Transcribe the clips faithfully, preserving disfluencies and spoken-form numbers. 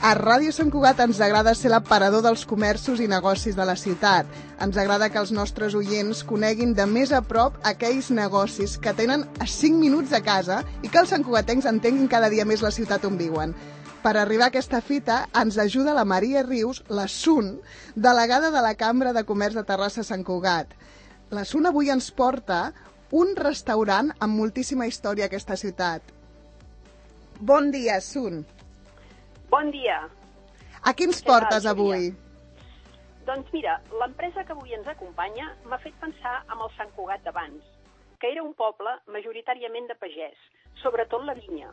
A Ràdio Sant Cugat ens agrada ser l'aparador dels comerços i negocis de la ciutat. Ens agrada que els nostres oients coneguin de més a prop aquells negocis que tenen a cinc minuts de casa i que els santcugatencs entenguin cada dia més la ciutat on viuen. Per arribar a aquesta fita ens ajuda la Maria Rius, la Sun, delegada de la Cambra de Comerç de Terrassa Sant Cugat. La Sun avui ens porta un restaurant amb moltíssima història a aquesta ciutat. Bon dia, Sun. Bon dia. A qui ens portes avui? Doncs mira, l'empresa que avui ens acompanya m'ha fet pensar en el Sant Cugat d'abans, que era un poble majoritàriament de pagès, sobretot la vinya.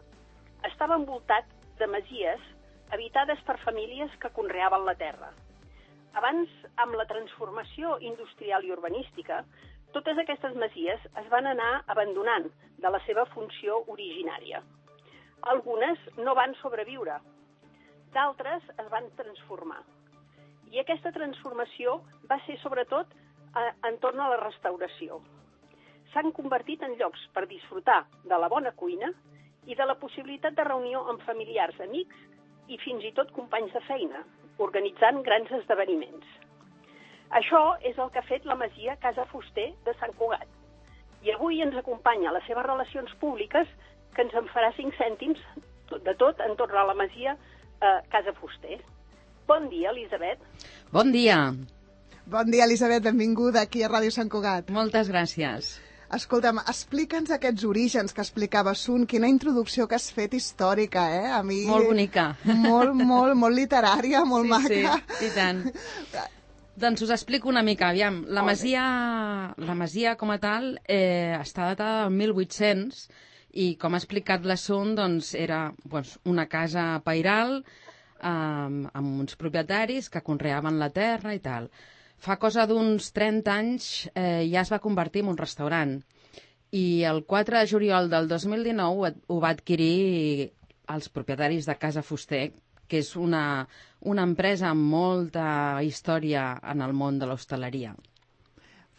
Estava envoltat de masies habitades per famílies que conreaven la terra. Abans, amb la transformació industrial i urbanística, totes aquestes masies es van anar abandonant de la seva funció originària. Algunes no van sobreviure, d'altres es van transformar. I aquesta transformació va ser sobretot eh, entorn a la restauració. S'han convertit en llocs per disfrutar de la bona cuina i de la possibilitat de reunió amb familiars, amics i fins i tot companys de feina, organitzant grans esdeveniments. Això és el que ha fet la masia Casa Fuster de Sant Cugat. I avui ens acompanya a les seves relacions públiques, que ens en farà cinc cèntims de tot entorn a la masia Uh, Casa Fuster. Bon dia, Elisabet. Bon dia. Bon dia, Elisabet. Benvinguda aquí a Ràdio Sant Cugat. Moltes gràcies. Escolta'm, explica'ns aquests orígens que explicava Sun. Quina introducció que has fet històrica, eh? A mi... Molt bonica. Molt, molt, molt literària, molt sí, maca. Sí, i tant. Doncs us explico una mica. Aviam, la masia, la masia com a tal eh, està datada del mil vuit-cents i, com ha explicat la Sun, doncs, era doncs, una casa pairal eh, amb uns propietaris que conreaven la terra i tal. Fa cosa d'uns trenta anys eh, ja es va convertir en un restaurant i el quatre de juliol del dos mil dinou ho va adquirir els propietaris de Casa Fuster, que és una, una empresa amb molta història en el món de l'hostaleria.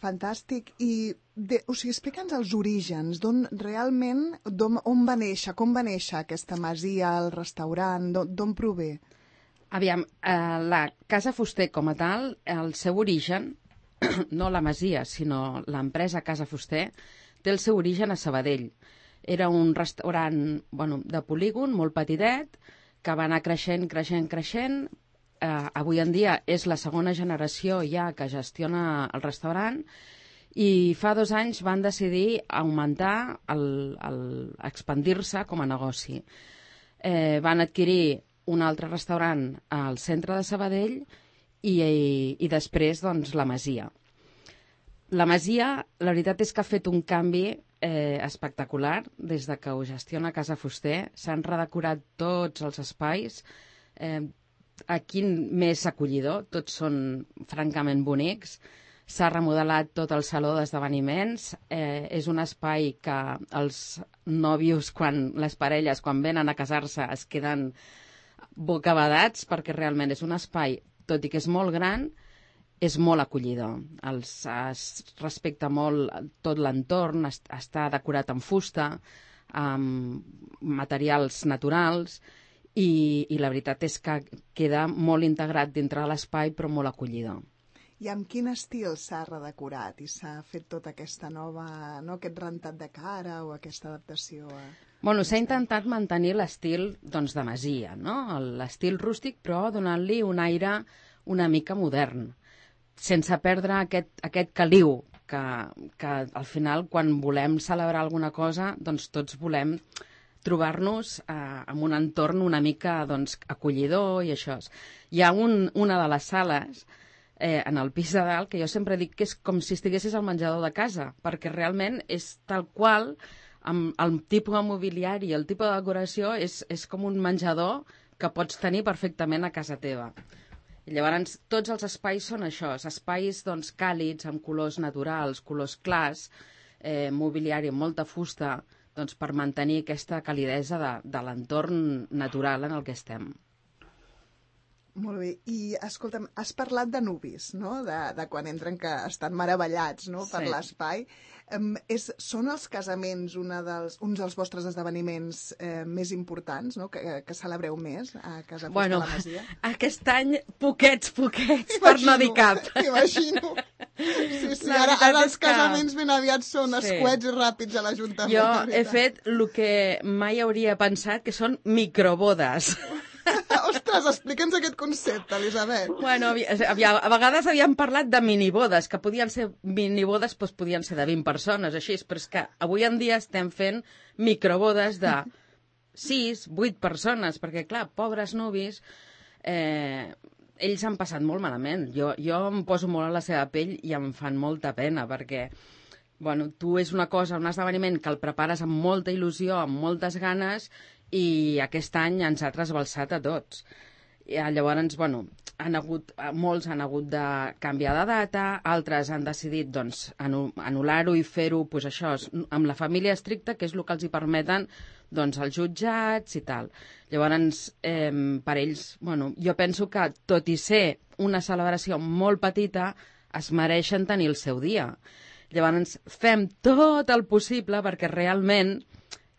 Fantàstic. I, de, o sigui, explica'ns els orígens, d'on realment, d'on, on va néixer, com va néixer aquesta masia, el restaurant, d'on prové? Aviam, eh, la Casa Fuster com a tal, el seu origen, no la masia, sinó l'empresa Casa Fuster, té el seu origen a Sabadell. Era un restaurant bueno, de polígon, molt petitet, que va anar creixent, creixent, creixent. Uh, avui en dia és la segona generació ja que gestiona el restaurant i fa dos anys van decidir augmentar, el, el, expandir-se com a negoci. Eh, van adquirir un altre restaurant al centre de Sabadell i, i, i després doncs, la masia. La masia, la veritat és que ha fet un canvi eh, espectacular des de que ho gestiona Casa Fuster. S'han redecorat tots els espais, eh, aquí més acollidor, tots són francament bonics. S'ha remodelat tot el saló d'esdeveniments. Eh, és un espai que els nòvios, quan, les parelles, quan venen a casar-se, es queden bocabadats perquè realment és un espai, tot i que és molt gran, és molt acollidor. Els, es respecta molt tot l'entorn, es, està decorat amb fusta, amb materials naturals, I, i la veritat és que queda molt integrat dintre de l'espai, però molt acollidor. I amb quin estil s'ha redecorat i s'ha fet tota aquesta nova, no, aquest rentat de cara o aquesta adaptació? A... Bueno, s'ha intentat mantenir l'estil doncs, de masia, no? L'estil rústic, però donant-li un aire una mica modern, sense perdre aquest, aquest caliu, que, que al final, quan volem celebrar alguna cosa, doncs tots volem trobar-nos eh, en un entorn una mica doncs, acollidor i això. Hi ha un, una de les sales eh, en el pis de dalt que jo sempre dic que és com si estiguessis al menjador de casa, perquè realment és tal qual, amb el tipus de mobiliari i el tipus de decoració és, és com un menjador que pots tenir perfectament a casa teva. I llavors tots els espais són això, espais doncs, càlids, amb colors naturals, colors clars, eh, mobiliari amb molta fusta, doncs, per mantenir aquesta calidesa de, de l'entorn natural en el que estem. Molt bé. I, escolta'm, has parlat de nuvis, no? De, de quan entren que estan meravellats, no?, per Sí. l'espai. Um, és, són els casaments una dels, uns dels vostres esdeveniments eh, més importants, no?, que, que celebreu més a Casa Fuster Bueno, la Masia? aquest any, poquets, poquets, per no dir cap. M'imagino. Sí, sí, La ara, veritat ara és els que- casaments ben aviat són Sí. escuets i ràpids a l'Ajuntament. Jo la he veritat. fet el que mai hauria pensat, que són microbodes. Ostres, explica'ns aquest concepte, Elisabet. Bueno, havia, havia, a vegades havíem parlat de minibodes, que podien ser minibodes, doncs podien ser de vint persones, així, però és que avui en dia estem fent microbodes de sis, vuit persones, perquè, clar, pobres nuvis, eh, ells han passat molt malament. Jo, jo em poso molt a la seva pell i em fan molta pena, perquè bueno, tu és una cosa, un esdeveniment que el prepares amb molta il·lusió, amb moltes ganes, i aquest any ens ha trasbalsat a tots. I, llavors, bueno, han hagut, molts han hagut de canviar de data, altres han decidit doncs, anu- anul·lar-ho i fer-ho pues, això, amb la família estricta, que és el que els hi permeten doncs, els jutjats i tal. Llavors, eh, per ells, bueno, jo penso que, tot i ser una celebració molt petita, es mereixen tenir el seu dia. Llavors, fem tot el possible perquè realment,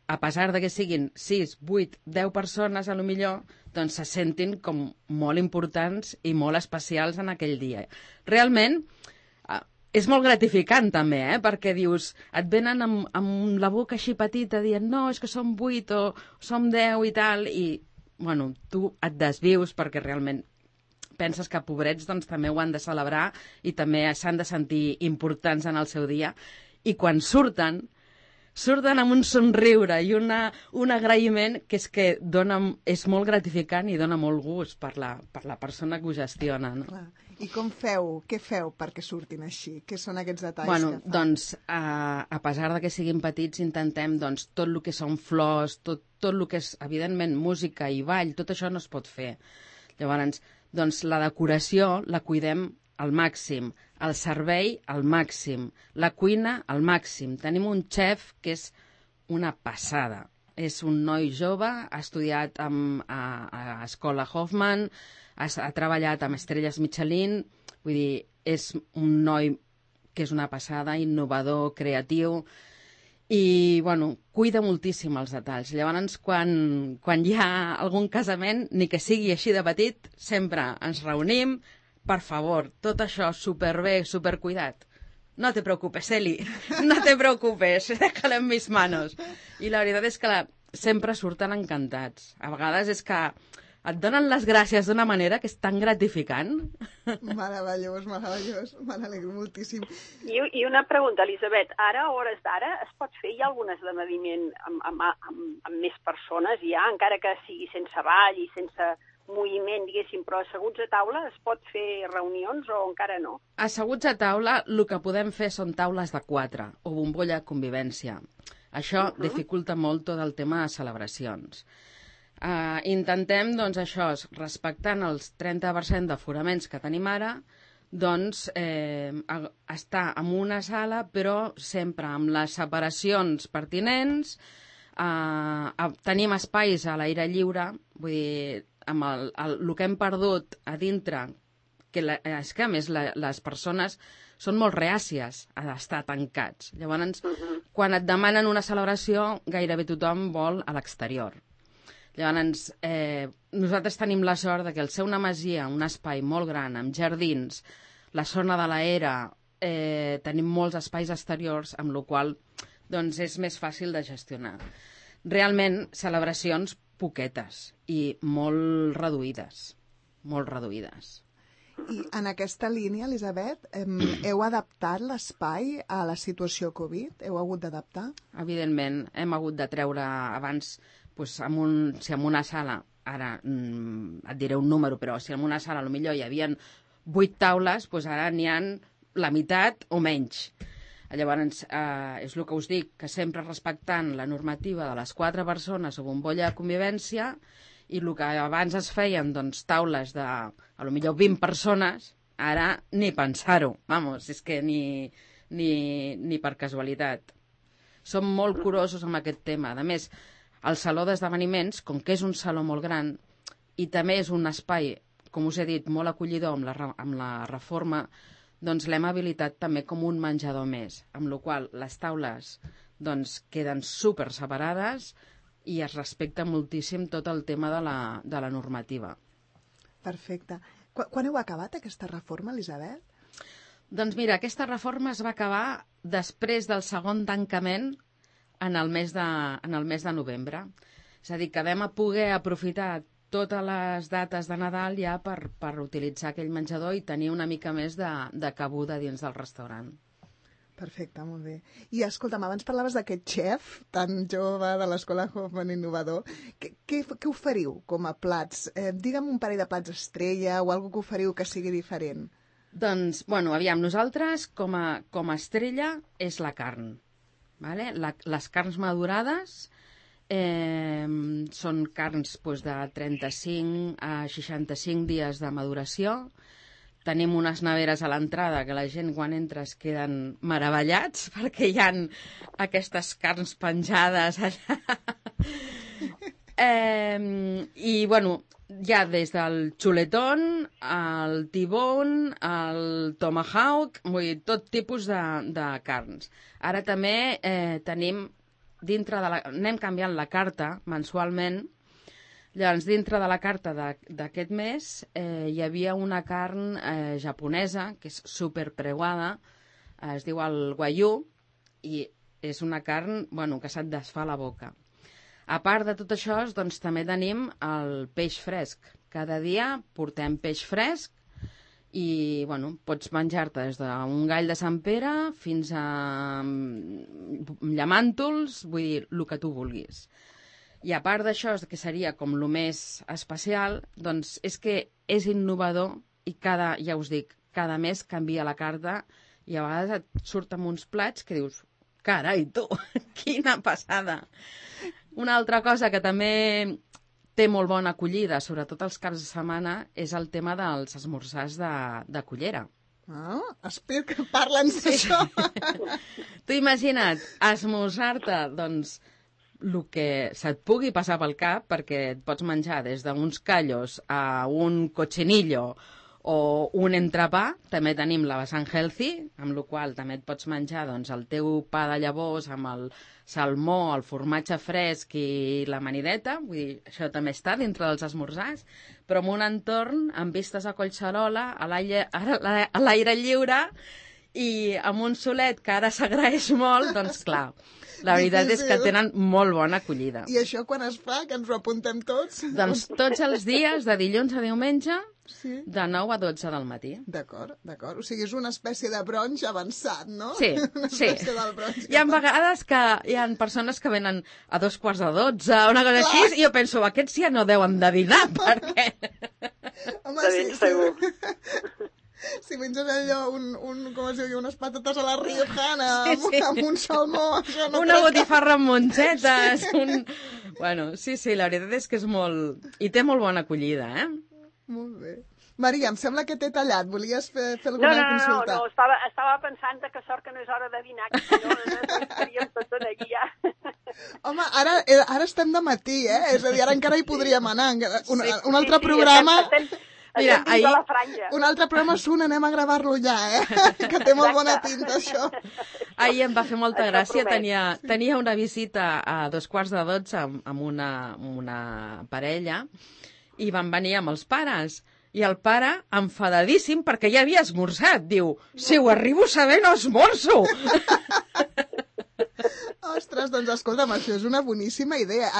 a pesar de que siguin sis, vuit, deu persones, a lo millor, doncs se sentin com molt importants i molt especials en aquell dia. Realment, eh, és molt gratificant també, eh? Perquè dius, et venen amb, amb la boca així petita dient no, és que som vuit o som deu i tal, i bueno, tu et desvius perquè realment penses que pobrets doncs, també ho han de celebrar i també s'han de sentir importants en el seu dia. I quan surten, surten amb un somriure i una, un agraïment que és que dona, és molt gratificant i dona molt gust per la, per la persona que ho gestiona. No? Clar. I com feu? Què feu perquè surtin així? Què són aquests detalls Bueno, que fan? doncs, a, a pesar de que siguin petits, intentem doncs, tot el que són flors, tot, tot el que és, evidentment, música i ball, tot això no es pot fer. Llavors, doncs, la decoració la cuidem al màxim, el servei al màxim, la cuina al màxim. Tenim un xef que és una passada. És un noi jove, ha estudiat amb, a, a Escola Hoffman, ha, ha treballat amb Estrelles Michelin, vull dir, és un noi que és una passada, innovador, creatiu, i, bueno, cuida moltíssim els detalls. Llavors, quan, quan hi ha algun casament, ni que sigui així de petit, sempre ens reunim, per favor, tot això superbé, supercuidat. No te preocupes, Eli, no te preocupes, déjalo en mis manos. I la veritat és que la, sempre surten encantats. A vegades és que et donen les gràcies d'una manera que és tan gratificant. Meravellós, meravellós. Me n'alegro moltíssim. I, I una pregunta, Elisabet. Ara, a hores d'ara, es pot fer ja algun esdeveniment amb, amb, amb, amb més persones, ja, encara que sigui sense ball i sense moviment, diguéssim, però asseguts a taula es pot fer reunions o encara no? Asseguts a taula, el que podem fer són taules de quatre o bombolla de convivència. Això uh -huh. dificulta molt tot el tema de celebracions. Uh, intentem, doncs, això, respectant els trenta per cent d'aforaments que tenim ara, doncs, eh, estar en una sala, però sempre amb les separacions pertinents, uh, tenim espais a l'aire lliure, vull dir, amb el, el, el que hem perdut a dintre, que la, és que a més la, les persones són molt reàcies a estar tancats. Llavors, uh -huh. quan et demanen una celebració, gairebé tothom vol a l'exterior. Llavors, eh, nosaltres tenim la sort de que al ser una masia, un espai molt gran, amb jardins, la zona de l'era, eh, tenim molts espais exteriors, amb la qual doncs, és més fàcil de gestionar. Realment, celebracions poquetes i molt reduïdes, molt reduïdes. I en aquesta línia, Elisabet, hem, heu adaptat l'espai a la situació Covid? Heu hagut d'adaptar? Evidentment, hem hagut de treure abans, doncs, en un, si en una sala, ara mm, et diré un número, però si en una sala potser hi havia vuit taules, doncs ara n'hi ha la meitat o menys. Llavors, eh, és el que us dic, que sempre respectant la normativa de les quatre persones o bombolla de convivència, i el que abans es feien, doncs, taules de, a lo millor, vint persones, ara ni pensar-ho. Vamos, és que ni, ni, ni per casualitat. Som molt curosos amb aquest tema. A més, el saló d'esdeveniments, com que és un saló molt gran, i també és un espai com us he dit, molt acollidor amb la, amb la reforma, doncs l'hem habilitat també com un menjador més, amb la qual les taules doncs, queden super separades i es respecta moltíssim tot el tema de la, de la normativa. Perfecte. Qu quan heu acabat aquesta reforma, Elisabet? Doncs mira, aquesta reforma es va acabar després del segon tancament en el mes de, en el mes de novembre. És a dir, que vam a poder aprofitar totes les dates de Nadal ja per, per utilitzar aquell menjador i tenir una mica més de, de cabuda dins del restaurant. Perfecte, molt bé. I escolta'm, abans parlaves d'aquest xef tan jove de l'Escola Hoffman Innovador. Què, què, què oferiu com a plats? Eh, digue'm un parell de plats estrella o alguna que oferiu que sigui diferent. Doncs, bueno, aviam, nosaltres com a, com a estrella és la carn. Vale? La, les carns madurades eh, són carns doncs, de trenta-cinc a seixanta-cinc dies de maduració. Tenim unes neveres a l'entrada que la gent quan entra es queden meravellats perquè hi ha aquestes carns penjades allà. eh, I, bueno, hi ha des del xuletón, el tibón, el tomahawk, vull dir, tot tipus de, de carns. Ara també eh, tenim, dintre de la, anem canviant la carta mensualment. Llavors, dintre de la carta d'aquest mes eh, hi havia una carn eh, japonesa, que és superpreuada, eh, es diu el wagyu, i és una carn bueno, que se't desfà la boca. A part de tot això, doncs, també tenim el peix fresc. Cada dia portem peix fresc i bueno, pots menjar-te des d'un gall de Sant Pere fins a llamàntols, vull dir, el que tu vulguis. I a part d'això, que seria com el més especial, doncs és que és innovador i cada, ja us dic, cada mes canvia la carta i a vegades et surten uns plats que dius, carai, tu, quina passada! Una altra cosa que també té molt bona acollida, sobretot els caps de setmana, és el tema dels esmorzars de, de cullera. Ah, espero que parlen d'això. Tu imagina't, esmorzar-te, doncs, el que se't pugui passar pel cap, perquè et pots menjar des d'uns callos a un cochinillo o un entrepà. També tenim la vessant healthy, amb la qual també et pots menjar doncs, el teu pa de llavors amb el salmó, el formatge fresc i l'amanideta. Vull dir, això també està dintre dels esmorzars, però en un entorn amb vistes a Collserola, a l'aire lliure i amb un solet que ara s'agraeix molt, doncs clar, la veritat és que tenen molt bona acollida. I això quan es fa, que ens ho apuntem tots? Doncs tots els dies, de dilluns a diumenge, sí. De nou a dotze del matí. D'acord, d'acord. O sigui, és una espècie de bronx avançat, no? Sí, una sí. Del bronx hi ha vegades que hi ha persones que venen a dos quarts de dotze, una cosa Clar. Així, i jo penso, aquests ja no deuen de dinar, perquè... Home, de ben sí, segur. Sí. Si menges allò, un, un, com es diu, unes patates a la riojana, sí, sí. Amb, amb un salmó... No una botifarra amb mongetes, un... Bueno, sí, sí, la veritat és que és molt... I té molt bona acollida, eh? Molt bé. Maria, em sembla que t'he tallat. Volies fer, fer alguna no, no, consulta? No, no, estava, estava pensant que sort que no és hora de dinar, que si no, no estaríem tots aquí ja. Home, ara, ara estem de matí, eh? És a dir, ara encara hi podríem anar. Un, sí, un altre sí, sí, programa... Estem, estem... Mira, ahir... Un altre programa és un, anem a gravar-lo ja, eh? Que té molt bona pinta, això. Ahir em va fer molta gràcia, tenia, tenia una visita a dos quarts de dotze amb, amb, una, amb una parella i van venir amb els pares. I el pare, enfadadíssim, perquè ja havia esmorzat, diu, si ho arribo a saber no esmorzo. Ostres, doncs escolta'm, això és una boníssima idea.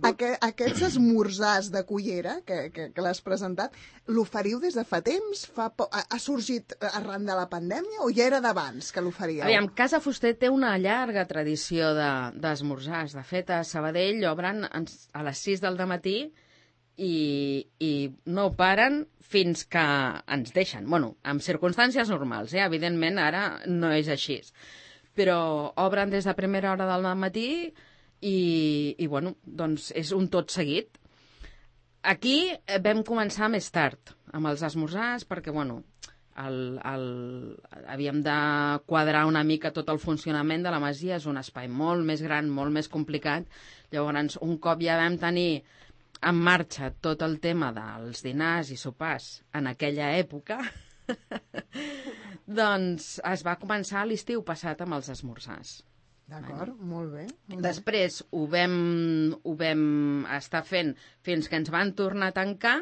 Aqu aquests esmorzars de cullera que, que, que l'has presentat, l'oferiu des de fa temps? Fa ha sorgit arran de la pandèmia o ja era d'abans que l'oferíeu? Aviam, Casa Fuster té una llarga tradició d'esmorzars. De, de fet, a Sabadell obren a les sis del dematí i, i no paren fins que ens deixen. Bueno, en circumstàncies normals, eh? Evidentment, ara no és així. Però obren des de primera hora del matí i, i bueno, doncs és un tot seguit. Aquí vam començar més tard amb els esmorzars perquè, bueno, el, el, havíem de quadrar una mica tot el funcionament de la masia. És un espai molt més gran, molt més complicat. Llavors, un cop ja vam tenir en marxa tot el tema dels dinars i sopars en aquella època, doncs es va començar a l'estiu passat amb els esmorzars. D'acord, vale. Molt bé. Molt Després bé. Ho, vam, ho vam estar fent fins que ens van tornar a tancar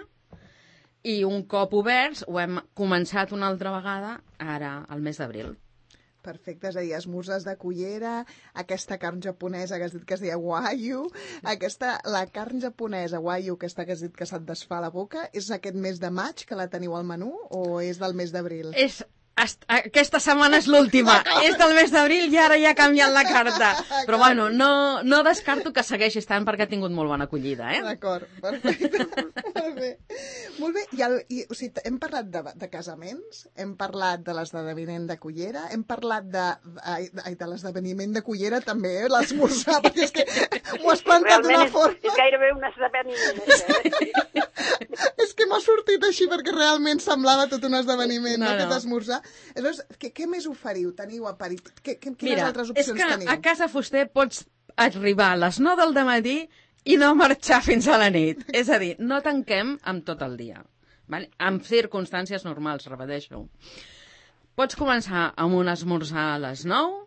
i un cop oberts ho hem començat una altra vegada ara, al mes d'abril. Perfecte, és a dir, esmorzars de cullera, aquesta carn japonesa que has dit que es deia wagyu, aquesta, la carn japonesa wagyu, aquesta que has dit que se't desfà la boca, és aquest mes de maig que la teniu al menú o és del mes d'abril? És... Aquesta setmana és l'última, és del mes d'abril i ara ja ha canviat la carta. Però bueno, no, no descarto que segueixi estant perquè ha tingut molt bona acollida, eh? D'acord, perfecte. Molt bé. Molt bé, I, el, i o sigui, hem parlat de, de casaments, hem parlat de l'esdeveniment de cullera, hem parlat de, de, de l'esdeveniment de cullera també, eh? L'esmorzar, perquè és que m'ho has plantat d'una forma... És, és gairebé un esdeveniment, eh? És que m'ha sortit així perquè realment semblava tot un esdeveniment, no, no? Aquest esmorzar. Aleshores, què, què més oferiu? Teniu aperitiu? Què, quines Mira, altres opcions teniu? Mira, és que a Casa Fuster pots arribar a les nou del dematí i no marxar fins a la nit. És a dir, no tanquem amb tot el dia. Vale? En circumstàncies normals, repeteixo. Pots començar amb un esmorzar a les nou,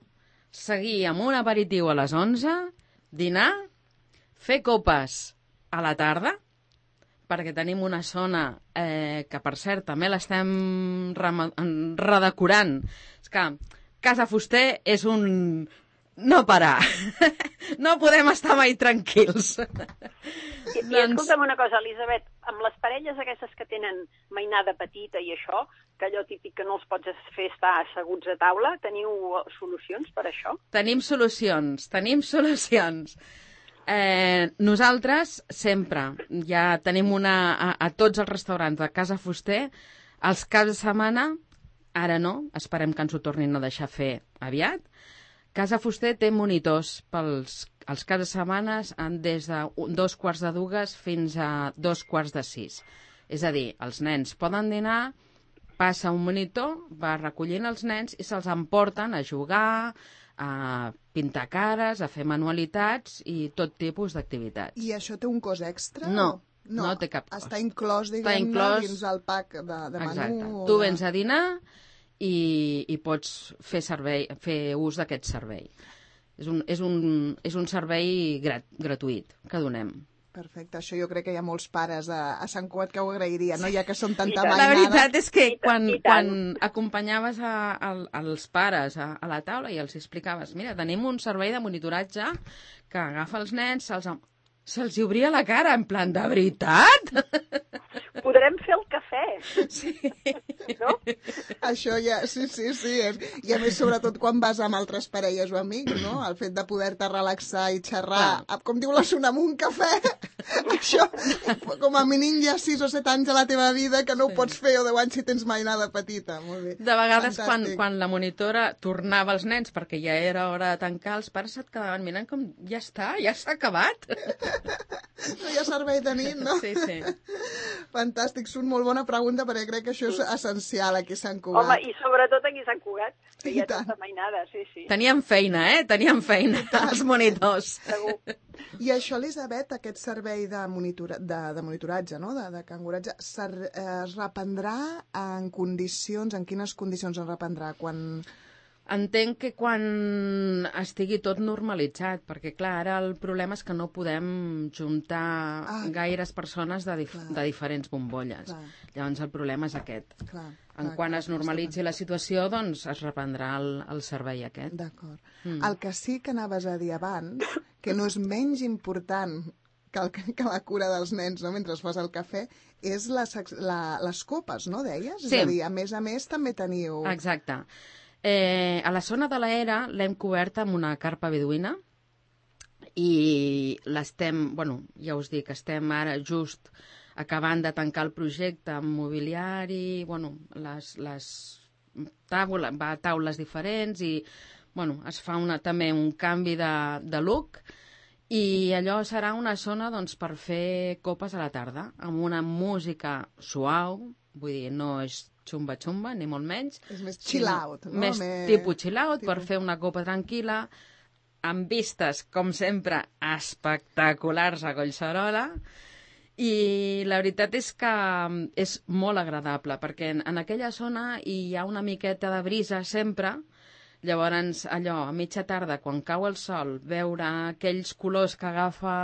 seguir amb un aperitiu a les onze, dinar, fer copes a la tarda, perquè tenim una zona eh, que, per cert, també l'estem redecorant. És que Casa Fuster és un... no parar. No podem estar mai tranquils. I, i escolta'm una cosa, Elisabet, amb les parelles aquestes que tenen mainada petita i això, que allò típic que no els pots fer estar asseguts a taula, teniu solucions per això? Tenim solucions, tenim solucions. Eh, nosaltres sempre ja tenim una a, a tots els restaurants de Casa Fuster els caps de setmana, ara no, esperem que ens ho tornin a deixar fer aviat. Casa Fuster té monitors pels els caps de setmana des de dos quarts de dues fins a dos quarts de sis. És a dir, els nens poden dinar, passa un monitor, va recollint els nens i se'ls emporten a jugar, a pintar cares, a fer manualitats i tot tipus d'activitats. I això té un cost extra? No, no, no té cap cost. Està inclòs, diguem-ne, inclòs... dins el pack de, de menú? Exacte. O Tu de... vens a dinar i, i pots fer, servei, fer ús d'aquest servei. És un, és un, és un servei grat, gratuït que donem. Perfecte, això jo crec que hi ha molts pares a, a Sant Cugat que ho agrairien, no? Ja que són tanta mainada. mainada. La veritat és que quan, quan acompanyaves a, a, als pares a, a la taula i els explicaves, mira, tenim un servei de monitoratge que agafa els nens, se'ls se'ls obria la cara, en plan, de veritat? Podrem fer el cafè. Sí. No? Això ja, sí, sí, sí. És... I a més, sobretot quan vas amb altres parelles o amics, no? El fet de poder-te relaxar i xerrar, ah. com diu la Suna, amb un cafè, això, com a mínim ja sis o set anys a la teva vida que no ho pots fer, o deu anys si tens mainada petita. Molt bé. De vegades, quan, quan la monitora tornava als nens, perquè ja era hora de tancar, els pares et quedaven mirant com, ja està, ja s'ha acabat. No hi ha servei de nit, no? Sí, sí. Fantàstic, Sun, molt bona pregunta, perquè crec que això és essencial aquí a Sant Cugat. Home, i sobretot aquí a Sant Cugat, que hi ha tanta mainada, sí, sí. Teníem feina, eh? Teníem feina, els monitors. Segur. I això, Elisabet, aquest servei de, monitora, de, de monitoratge, no? de, de canguratge, es reprendrà en condicions, en quines condicions es reprendrà? Quan... Entenc que quan estigui tot normalitzat, perquè, clar, ara el problema és que no podem juntar ah, gaires persones de, dif de diferents bombolles. Clar. Llavors el problema és aquest. Clar, en clar, quan clar, es normalitzi la situació, doncs es reprendrà el, el servei aquest. D'acord. Mm. El que sí que anaves a dir abans, que no és menys important que, el, que la cura dels nens, no?, mentre fas el cafè, és les, la, les copes, no, deies? Sí. És a dir, a més a més també teniu... Exacte. Eh, a la zona de l'era l'hem coberta amb una carpa beduïna i l'estem, bueno, ja us dic, estem ara just acabant de tancar el projecte amb mobiliari, bueno, les, les taules, va a taules diferents i, bueno, es fa una, també un canvi de, de look i allò serà una zona, doncs, per fer copes a la tarda, amb una música suau, vull dir, no és xumba-xumba, ni molt menys. És més chill out, no? Més més... tipus chill out, tipus... per fer una copa tranquil·la, amb vistes, com sempre, espectaculars a Collserola, I la veritat és que és molt agradable, perquè en, en aquella zona hi ha una miqueta de brisa sempre. Llavors, allò, a mitja tarda, quan cau el sol, veure aquells colors que agafa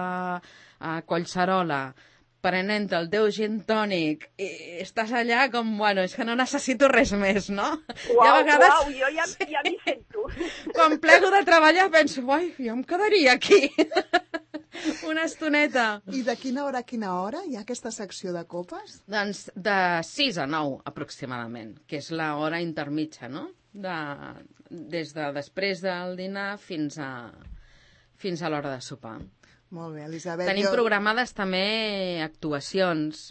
a Collserola, prenent el teu gin tònic, i estàs allà com, bueno, és que no necessito res més, no? Uau, I a vegades, uau, jo ja, ja m'hi sento. quan plego de treballar penso, ai, jo em quedaria aquí una estoneta. I de quina hora a quina hora hi ha aquesta secció de copes? Doncs de sis a nou, aproximadament, que és l'hora intermitja, no? De, des de després del dinar fins a, fins a l'hora de sopar. Molt bé, Elisabet. Tenim jo... programades també actuacions.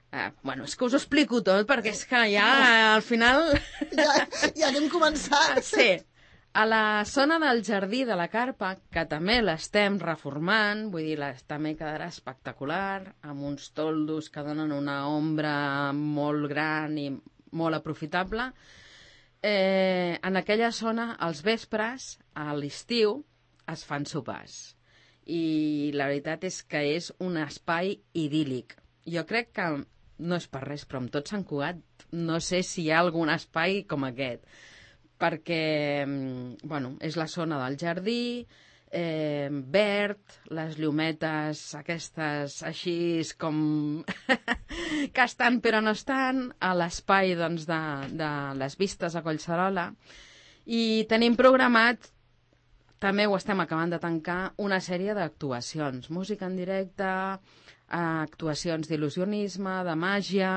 Eh, bueno, és que us ho explico tot, perquè és que ja, al final... Ja, ja n'hem començat. Sí. A la zona del jardí de la Carpa, que també l'estem reformant, vull dir, també quedarà espectacular, amb uns toldos que donen una ombra molt gran i molt aprofitable. Eh, en aquella zona, als vespres, a l'estiu, es fan sopars. I la veritat és que és un espai idíl·lic. Jo crec que, no és per res, però amb tot Sant Cugat, no sé si hi ha algun espai com aquest, perquè, bueno, és la zona del jardí, eh, verd, les llumetes aquestes així com que estan però no estan, a l'espai doncs, de, de les vistes a Collserola, i tenim programat, també ho estem acabant de tancar, una sèrie d'actuacions, música en directe, actuacions d'il·lusionisme, de màgia.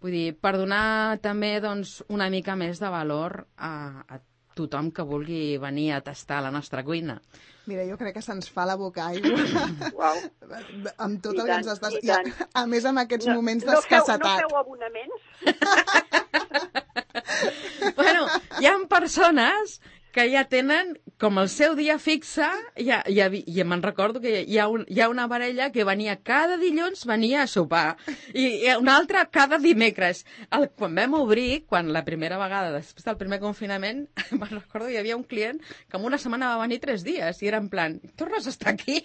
Vull dir, per donar també doncs, una mica més de valor a, a tothom que vulgui venir a tastar la nostra cuina. Mira, jo crec que se'ns fa la boca aigua. Uau. Amb tot I el tant, que ens estàs... i tant. I a, a més, amb aquests No, moments no feu, d'escassetat. no feu abonaments? Bueno, hi ha persones que ja tenen com el seu dia fixe, ja, ja, ja me'n recordo que hi ha, un, hi ha una parella que venia cada dilluns venia a sopar, i, i una altra cada dimecres. El, quan vam obrir, quan la primera vegada, després del primer confinament, me'n recordo que hi havia un client que en una setmana va venir tres dies, i era en plan, tornes a estar aquí?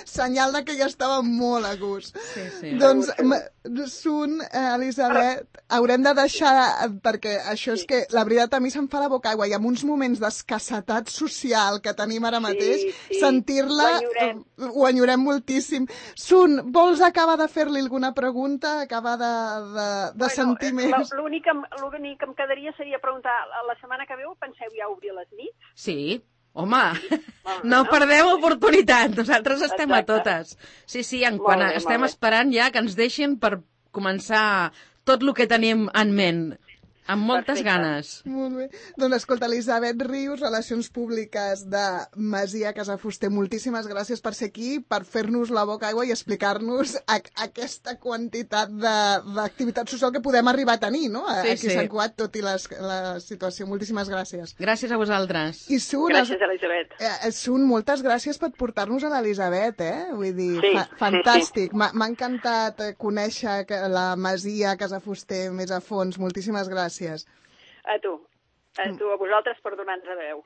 Senyal de que ja estava molt a gust. Sí, sí. Doncs, Sun, eh, Elisabet, haurem de deixar, perquè això és que, la veritat, a mi se'm fa la boca aigua, i amb uns moments d'escassetat social que tenim ara mateix, Sí, sí. sentir-la Ho enyorem. ho enyorem moltíssim. Sun, vols acabar de fer-li alguna pregunta? Acabar de, de, de Bueno, sentir eh, més? L'únic que, em- l'únic que em quedaria seria preguntar, la setmana que veu penseu ja obrir les nits? Sí, home, Molt bé, no no? perdeu oportunitat, nosaltres estem Exacte. a totes. Sí, sí, en Molt quan bé, estem molt bé. esperant ja que ens deixin per començar tot el que tenim en ment, amb moltes Perfecte. ganes. Molt bé. Doncs escolta, Elisabet Rius, Relacions Públiques de Masia Casafuster, moltíssimes gràcies per ser aquí, per fer-nos la boca aigua i explicar-nos a, aquesta quantitat de- d'activitat social que podem arribar a tenir, no? Sí, Aquí sí. a Sant Cugat, tot i les, la situació. Moltíssimes gràcies. Gràcies a vosaltres. I Sun, Gràcies, Elisabet. eh, Sun, moltes gràcies per portar-nos a l'Elisabet, eh? Vull dir, Sí, fa, sí, fantàstic. M'ha m'ha encantat eh, conèixer que la Masia Casafuster més a fons. Moltíssimes gràcies. A tu. A tu, a vosaltres per donar-nos a veu.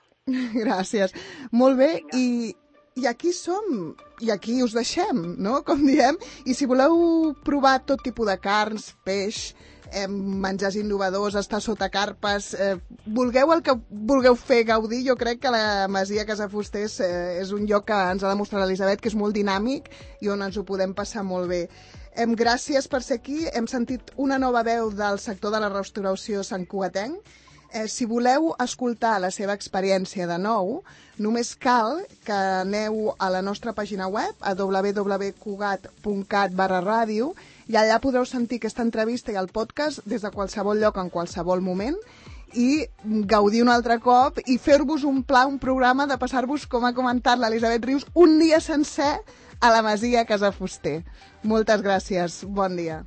Gràcies. Molt bé, Vinga. i, i aquí som, i aquí us deixem, no?, com diem. I si voleu provar tot tipus de carns, peix, eh, menjars innovadors, estar sota carpes, eh, vulgueu el que vulgueu fer gaudir, jo crec que la Masia Casafuster és, eh, és un lloc que ens ha demostrat l'Elisabet, que és molt dinàmic i on ens ho podem passar molt bé. Em, gràcies per ser aquí. Hem sentit una nova veu del sector de la restauració santcugatenc. Eh, si voleu escoltar la seva experiència de nou, només cal que aneu a la nostra pàgina web, a w w w punt cugat punt cat barra ràdio, i allà podreu sentir aquesta entrevista i el podcast des de qualsevol lloc, en qualsevol moment, i gaudir un altre cop i fer-vos un pla, un programa de passar-vos, com ha comentat l'Elisabet Rius, un dia sencer a la Masia Casafuster. Moltes gràcies. Bon dia.